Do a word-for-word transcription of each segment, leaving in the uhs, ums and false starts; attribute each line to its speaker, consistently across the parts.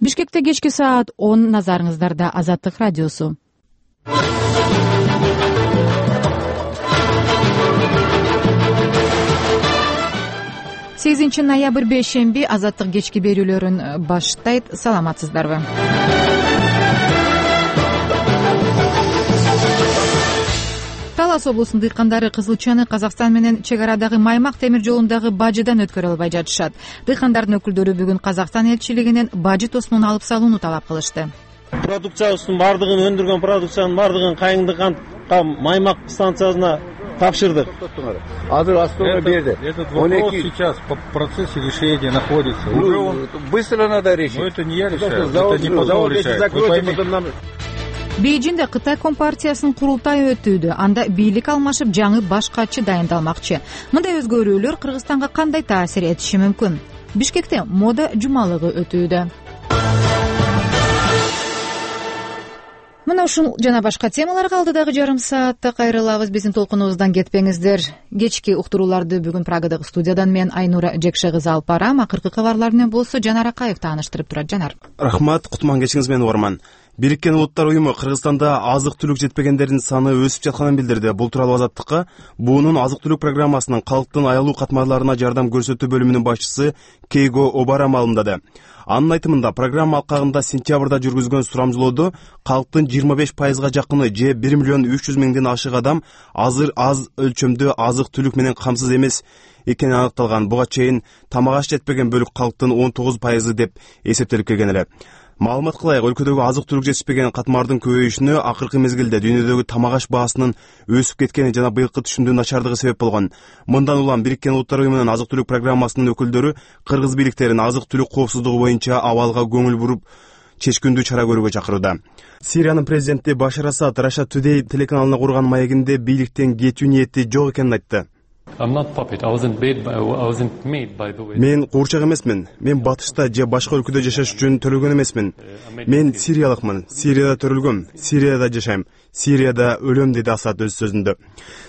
Speaker 1: Бишкекте кечки саат он, назарыңыздарда Азаттык радиосу. сегизинчи ноябрь бейшемби Азаттык кечки берүүлөрүн баштайт. Саламатсыздарбы? Талас облусунун дыйкандары кызылчаны Казакстан менен чек арадагы Маймак темир жолундагы бажыдан өткөрө албай жатышат. Дыйкандардын өкүлдөрү бүгүн Казакстан элчилигинен бажы тосмун алып салууну талап кылышты.
Speaker 2: Продукциябыздын бардыгын, өндүргөн продукциянын бардыгын Кайыңды кантка Маймак станциясына тапшырдык.
Speaker 3: Азыр Астона берди.
Speaker 4: Этот вопрос сейчас по процессе решения находится.
Speaker 3: Ну, быстро надо решить.
Speaker 4: Но это не я решаю, это не потом решает.
Speaker 1: Бейжиңде Кытай компартиясынын курултайы өтүүдө. Анда бийлик алмашып, жаңы баш катчы дайындалмакчы. Мындай өзгөрүүлөр Кыргызстанга кандай таасир этиши мүмкүн? Бишкекте мода жумалыгы өтүүдө. Мына ушул жана башка темаларга алдыдагы жарым саатта кайрылабыз. Биздин толкунубуздан кетпеңиздер. Кечки уктурууларды бүгүн Праgadагы студиядан мен Айнура Жекше кызы алып барам. Акыркы кабарлар менен болсо Жанар Акаев тааныштырып турат. Жанар.
Speaker 5: Рахмат, кутман кечиңиз менен угарман. Бириккен Улуттар уюму Кыргызстанда азык-түлүк жетпегендердин саны өсүп жатканын билдирди. Бул тууралуу Азаттыкка буунун азык-түлүк программасынын калктын аялуу катмарларына жардам көрсөтүү бөлүмүнүн башчысы Кейго Обара маалымдады. Анын айтымында, программа алкагында сентябрда жүргүзгөн сурамжылоодо калктын жыйырма беш пайызга жакыны же бир миллион үч жүз миңден ашык адам азыр аз өлчөмдө азык-түлүк менен камсыз эмес экени аныкталган. Буга чейин тамак аш жетпеген бөлүк калктын он тогуз пайызы деп эсептелип келген эле. Маалымат кылайык, өлкөдөгү азык-түлүк жетишпеген катмардын көбөйүшүнө акыркы мезгилде дүйнөдөгү тамак аш баасынын өсүп кеткени жана быйылкы түшүмдүн начардыгы себеп болгон. Мындан улам Бириккен Улуттар уюмунун азык-түлүк программасынын өкүлдөрү кыргыз бийликтерин азык-түлүк коопсуздугу боюнча абалга көңүл буруп чечкүндүү чара көрүүгө чакырууда. Сириянын президенти Башар Асад Russia Today телеканалына курган маегинде бийликтен кетүү ниети жок экенин айтты. Мен куурчак эмесмин. Мен батышта же башка өлкөдө жашаш үчүн төлөгөн эмесмин. Мен сириялыкмын. Сирияда төрөлгөм. Сирияда жашайм. Сирияда өлөм, деди Асад өз сөзүндө.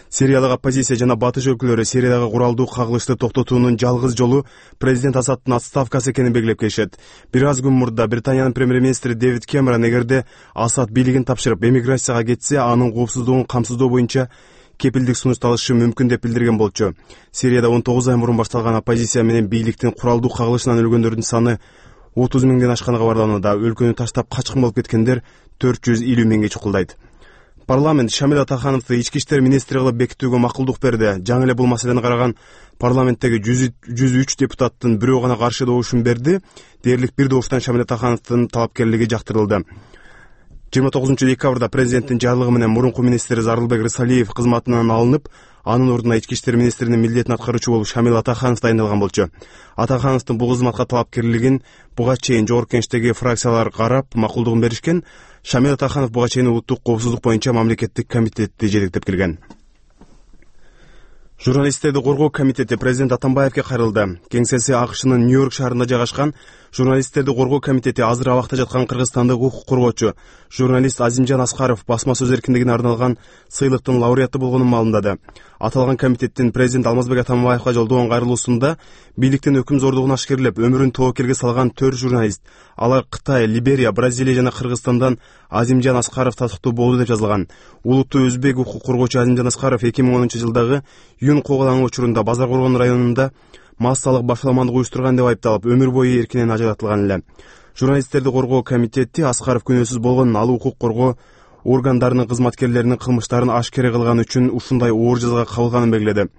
Speaker 5: Сириялык оппозиция жана батыш өлкөлөрү Сириядагы куралдуу кагылышты токтотуунун жалгыз жолу президент Асадтын отставкасы экенин белгилеп келишет. Бир аз күн мурда Британиянын премьер-министри Дэвид Кэмерон эгерде Асад бийлигин тапшырып эмиграцияга кетсе, анын коопсуздугун камсыздоо боюнча кепилдик сунуш алышы мүмкүн деп билдирген болчу. Сирияда он тогуз ай мурун башталган оппозиция менен бийликтин куралдуу кагылышынан өлгөндөрдүн саны отуз миңден ашканы кабарланууда. Өлкөнү таштап качкын болуп кеткендер төрт жүз элүү миңге чукулдайт. Парламент Шамил Атахановду ички иштер министри кылып бекитүүгө макулдук берди. Жаңы эле бул маселени караган парламенттеги жүз үч депутаттын бирөө гана каршы добушун берди. Дээрлик бир добуштан Шамил Атахановдун талапкерлиги жактырылды. жыйырма тогузунчу декабрда президенттин жарлыгы менен мурунку министр Зарылбек Рысалиев кызматынан алынып, анын ордуна ички иштер министринин милдетин аткаруучу болуп Шамил Атаханов дайындалган болчу. Атахановдун бул кызматка талапкерлигин буга чейин жогорку кеңештеги фракциялар карап макулдугун беришкен. Шамил Атаханов буга чейин улуттук коопсуздук боюнча мамлекеттик комитетти жетектеп келген. Журналисттерди коргоо комитети президент Атамбаевге кайрылды. Кеңсеси АКШнын Нью-Йорк шаарында жайгашкан. Журналисттерди коргоо комитети азыр абакта жаткан кыргызстандык укук коргоочу журналист Азимжан Аскаров басма сөз эркиндигине арналган сыйлыктын лауреаты болгонун маалымдады. Аталган комитеттин президент Алмазбек Атамбаевга жолдогон кайрылуусунда бийликтин өкүм зордугун ашкерлеп өмүрүн тобокелге салган төрт журналист, алар Кытай, Либерия, Бразилия жана Кыргызстандан Азимжан Аскаров татыктуу болду деп жазылган. Улуттуу өзбек укук коргоочу Азимжан Аскаров эки миң онунчу жылдагы Юн коогалаңы учурунда Базар Коргон районунда массалык башаламандык уюштурган деп айыпталып, өмүр бою эркинен ажыратылган эле. Журналисттерди коргоо комитети Аскаров күнөөсүз болгон ал укук коргоо органдарынын кызматкерлеринин кылмыштарын ашкере кылган үчүн ушундай оор жазага кабылганын белгиледи.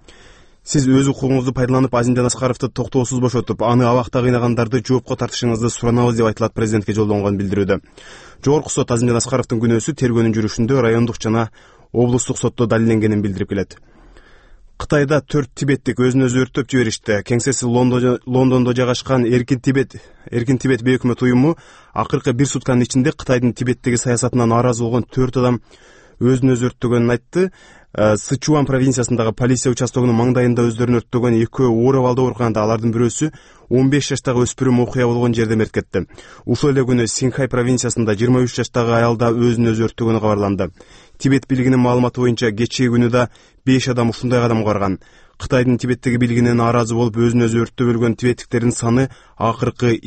Speaker 5: Сиз өз укугуңузду пайдаланып Азимжан Аскаровду токтоосуз бошотуп, аны абакта кыйнагандарды жоопко тартышыңызды суранабыз деп айтылат президентке жолдонгон билдирүүдө. Жогорку сот Азимжан Аскаровдун күнөөсү тергөөнүн жүрүшүндө райондук жана облустук сотто далилденгенин билдирип келет. Кытайда төрт тибеттик өзүн өзү өрттөп жиберишти. Кеңсеси Лондондо жайгашкан Эркин Тибет, Эркин Тибет бейөкмөт уюму акыркы бир сутканын ичинде Кытайдын Тибеттеги саясатынан нааразы болгон төрт адам өзүн өзү өрттөгөнүн айтты. Сычуан провинциясындагы полиция участогунун маңдайында өздөрүн өрттөгөн экөө оор абалда ооруканда, алардын бирөөсү он беш жаштагы өспүрүм окуя болгон жерде мерт кетти. Ушул эле күнү Синхай провинциясында жыйырма үч жаштагы аял да өзүн өзү өрттөгөнү кабарланды. Тибет бийлигинин маалыматы боюнча кечээ күнү да беш адам ушундай кадамга барган. Кытайдын Тибеттеги бийлигине нааразы болуп өзүн өзү өрттөп өлгөн тибеттиктердин саны акыркы